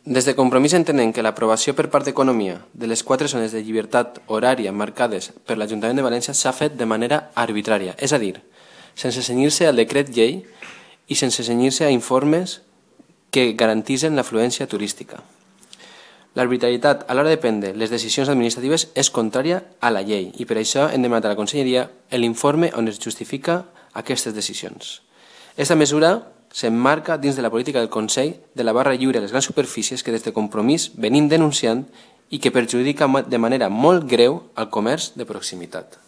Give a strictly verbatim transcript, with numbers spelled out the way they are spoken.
Des de Compromís entenem que l'aprovació per part d'Economia de les quatre zones de llibertat horària marcades per l'Ajuntament de València s'ha fet de manera arbitrària, és a dir, sense cenyir-se al decret llei i sense cenyir-se a informes que garantitzen l'afluència turística. L'arbitrarietat a l'hora de prendre les decisions administratives és contrària a la llei i per això hem demanat a la Conselleria l'informe on es justifica aquestes decisions. Aquesta mesura s'emmarca dins de la política del Consell de la barra lliure a les grans superfícies que des de Compromís venim denunciant i que perjudica de manera molt greu el comerç de proximitat.